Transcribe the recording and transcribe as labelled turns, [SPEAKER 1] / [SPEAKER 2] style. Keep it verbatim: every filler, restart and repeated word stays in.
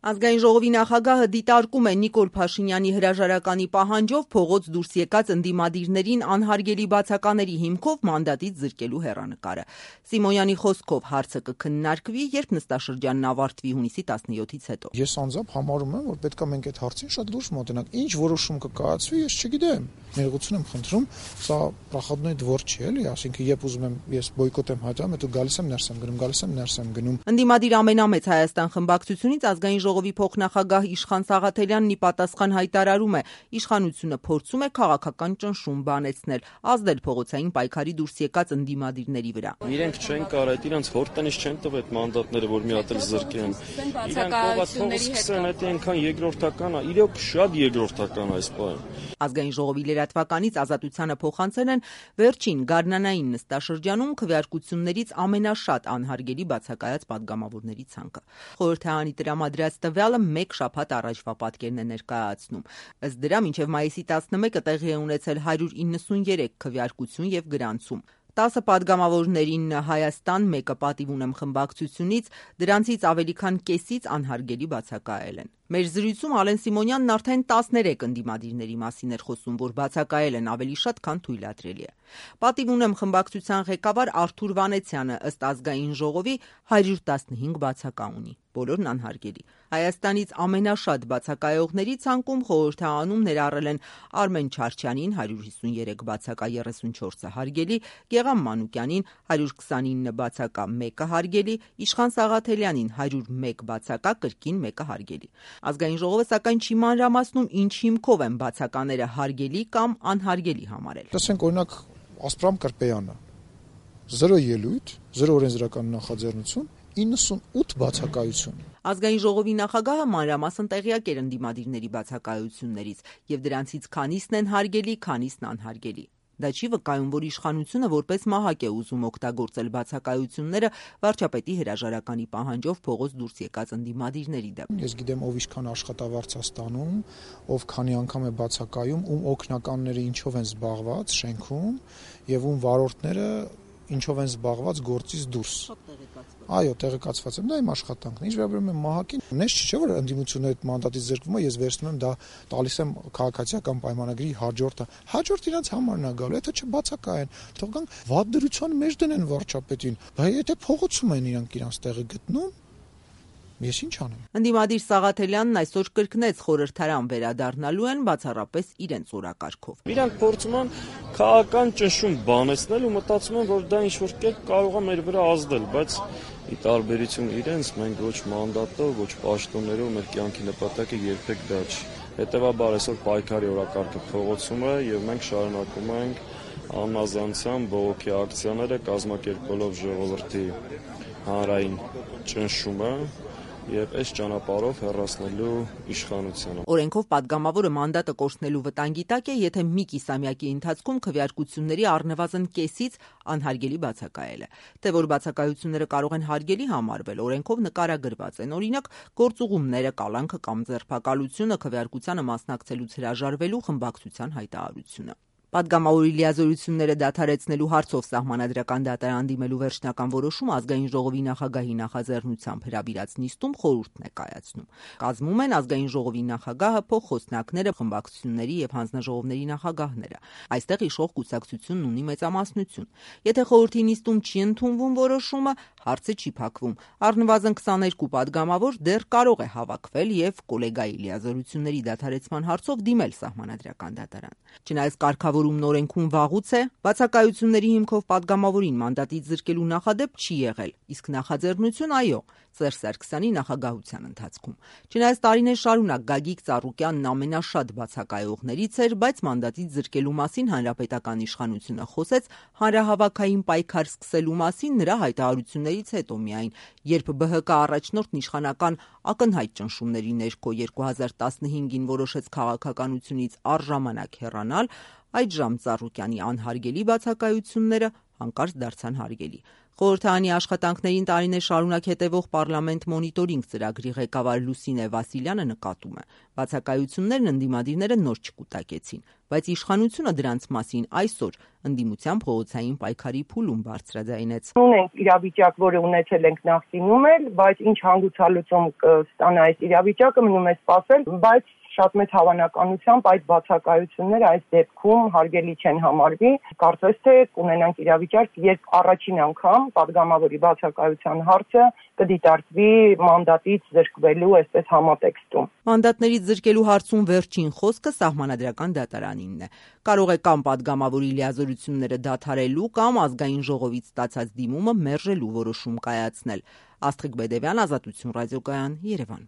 [SPEAKER 1] Ազգային ժողովի նախագահը դիտարկում է Նիկոլ Փաշինյանի հրաժարականի պահանջով փողոց դուրս եկած ընդդիմադիրներին անհարգելի բացակաների հիմքով մանդատից զրկելու հեռանկարը։ Սիմոնյանի խոսքով հարցը կքննարկվի, երբ նստաշրջանն ավարտվի հունիսի տասնյոթից հետո։
[SPEAKER 2] Ես անձամբ համարում եմ, որ պետք է մենք այդ հարցին շատ լուրջ մոտենանք։ Ինչ որոշում կկայացվի, ես չգիտեմ։ Ներողություն եմ խնդրում, սա պրախադնոյ դվոր չի, էլի, ասինքն երբ ուզում եմ ես բոյկոտ եմ հայտարարում, հետո գալիս եմ ներս եմ գնում, գալիս եմ ներս եմ գնում։
[SPEAKER 1] Ընդդիմադիր ամենամեծ Հայաստան խմբակցությունից ազգային ժողովի փոխնախագահ Իշխան Սաղաթելյանն ի պատասխան հայտարարում է, իշխանությունը փորձում է քաղաքական ճնշում բանեցնել, ազդել փողոցային պայքարի դուրս եկած ընդդիմադիրների վրա։
[SPEAKER 3] Իրենք չեն կարող, իրանց հորտնից չեն տվել այդ մանդատները, որ մի հատ էլ զրկեն։ Իրանք փողոցի սկսեն, դա այնքան երկրորդական է, իրոք շատ երկրորդական այս բանը։
[SPEAKER 1] Ազգային ժողովի լրատվականից Ազատությանը փոխանցել են վերջին գարնանային նստաշրջանում քվեարկություններից ամենաշատ անհարգելի բացակայած падգամավորների ցանկը։ Խորհրդարանի տրամադրած տվյալը մեկ շաբաթ առաջվա պատկերն է ներկայացնում։ Ըստ դրա մինչև մայիսի տասնմեկը տեղի է ունեցել հարյուր իննսուններեք քվեարկություն եւ գրանցում։ տասը падգամավորներին Հայաստան, մեկը պատիվ ունեմ խմբակցությունից, դրանցից ավելի քան կեսից անհարգելի բացակայել են։ Մեր զրույցում Ալեն Սիմոնյանն արդեն տասներեք ընդդիմադիրների մասին էր խոսում, որ բացակայել են ավելի շատ, քան թույլատրելի է։ Պատիվ ունեմ խմբակցության ղեկավար Արթուր Վանեցյանը ըստ ազգային ժողովի հարյուր տասնհինգ բացակա ունի, բոլորն անհարգելի։ Հայաստանից ամենաշատ բացակայողների ցանկում խորհրդարանում ներառել են Արմեն Չարչյանին հարյուր հիսուներեք բացակա, երեսունչորսը հարգելի, Գեղամ Մանուկյանին հարյուր քսանինը բացակա, մեկը հարգելի, Իշխան Սաղաթելյանին հարյուր մեկ բացակա, կրկին մեկը հարգելի։ Ազգային ժողովը սակայն չի մանրամասնում ինչ հիմքով են բացակաները հարգելի կամ անհարգելի համարել։
[SPEAKER 2] Տեսենք օրինակ Ասպրամ Կրպեյանը զրո ելույթ, զրո օրենսդրական նախաձեռնություն, իննսունութ բացակայություն։
[SPEAKER 1] Ազգային ժողովի նախագահը մանրամասն տեղյակ էր ընդդիմադիրների բացակայություններից եւ դրանցից քանիսն են հարգելի, քանիսն անհարգելի։ Դա չի վկայում, որ իշխանությունը որպես մահակ է ուզում օգտագործել բացակայությունները վարչապետի հրաժարականի պահանջով փողոց դուրս եկած ընդդիմադիրների դեմ։
[SPEAKER 2] Ես գիտեմ ով ինչքան աշխատավարձ է ստանում, ով քանի անգամ է բացակայում, ում օգնականները ինչով են զբաղված շենքում եւ ում վարորդները ինչով են զբաղված գործից դուրս։ Այո, տեղեկացված եմ, դա իմ աշխատանքն է։ Ինչ վերաբերում է մահակին, նես չէ որ ընդդիմությունը այդ մանդատից զրկվում է, ես վերցնում եմ դա տալիս եմ քաղաքացիական պայմանագրի հաջորդը։ Հաջորդ իրանց համարն է գալու, եթե չբացակայեն, թող գան վատ դրության մեջ դնեն վարչապետին, բայց եթե փողոցում են իրանք իրանց տեղը գտնում, ես ինչ անեմ։
[SPEAKER 1] Ընդդիմադիր Սաղաթելյանն այսօր կրկնեց խորհրդարան վերադառնալու են բացառապես իրենց օրակարգով։
[SPEAKER 3] Իրանք փորձում են քաղաքական ճնշում բանեցնել ու մտածում են, որ դա ինչ-որ կերպ կարող է մեր վրա ազդել, բայց ի տարբերություն իրենց մենք ոչ մանդատով, ոչ պաշտոններով մեր կյանքի նպատակը երբեք դա չի։ Հետևաբար այսօր պայքարի օրակարգը փողոցում է եւ մենք շարունակում ենք աննազանցան բողոքի ակցիաները կազմակերպելով ժողովրդի հանրային ճնշումը եւ այս ճանապարհով հեռացնելու իշխանությունը։
[SPEAKER 1] Օրենքով падգամավորը մանդատը կորցնելու վտանգի տակ է, եթե մի կիսամյակի ընթացքում քվեարկությունների առնվազն կեսից անհարգելի բացակայել է։ Թե որ բացակայությունները կարող են հարգելի համարվել, օրենքով նկարագրված են, օրինակ գործուղումները, կալանքը կամ ձերբակալությունը, քվեարկությանը մասնակցելուց հրաժարվելու խմբակցության հայտարարությունը։ Падգամավորի լիազորությունները դադարեցնելու հարցով սահմանադրական դատարան դիմելու վերջնական որոշումը ազգային ժողովի նախագահի նախաձեռնությամբ հրավիրած նիստում խորհուրդն է կայացնում։ Կազմում են ազգային ժողովի նախագահը, փոխխոսնակները, խմբակցությունների եւ հանձնաժողովների նախագահները։ Այստեղ իշխող կուսակցությունն ունի մեծամասնություն։ Եթե խորհրդի նիստում չի ընդունվում որոշումը, հարցը չի փակվում։ Առնվազն քսաներկու падգամավոր դեռ կարող է հավաքվել եւ կոլեգայի լիազորությունների դադարեցման հարցով դիմել սահմանադրական դատարան։ Չնայած կարգավորումն օրենքում վաղուց է, բացակայությունների հիմքով падգամավորին մանդատից զրկելու նախադեպ չի եղել, իսկ նախաձեռնություն այո, Սերժ Սարգսյանի նախագահության ընթացքում։ Չնայած տարիներ շարունակ Գագիկ Ծառուկյանն ամենաշատ բացակայողներից էր, բայց մանդատից զրկելու մասին հանրապետական իշխանությունը խոսեց հանրահավաքային պայքար սկսելու մասին նրա հայտարարություններից հետո միայն, երբ Բ Հ Կ առաջնորդն իշխանական ակնհայտ ճնշումների ներքո երկու հազար տասնհինգին որոշեց քաղաքականությունից առժամանակ հեռանալ, այդժամ Ծառուկյանի անհարգելի բացակայությունները հանկարծ դարձան հարգելի։ Խորհրդարանի աշխատանքներին տարիներ շարունակ հետևող Պարլամենտ մոնիտորինգ ծրագրի ղեկավար Լուսինե Վասիլյանը նկատում է. բացակայություններն ընդդիմադիրները նոր չկուտակեցին, բայց իշխանությունը դրանց մասին այսօր ընդդիմության փողոցային պայքարի փուլում բարձրաձայնեց։
[SPEAKER 4] Ունենք իրավիճակ, որը ունեցել ենք նախկինում էլ, բայց ինչ հանգուցալուծում կստանա այս իրավիճակը, մնում է սպասել, բայց շատ մեծ հավանականությամբ այդ բացակայությունները այս դեպքում հարգելի չեն համարվի։ Կարծես թե կունենանք իրավիճակ, երբ առաջին անգամ падգամավորի բացակայության հարցը կդիտարկվի մանդատից զրկվելու այսպես համատեքստում։
[SPEAKER 1] Մանդատներից զրկելու հարցում վերջին խոսքը Սահմանադրական դատարանինն է։ Կարող է կամ падգամավորի լիազորությունները դադարելու, կամ ազգային ժողովից ստացած դիմումը մերժելու որոշում կայացնել։ Աստղիկ Բեդևյան, Ազատություն ռադիոկայան, Երևան։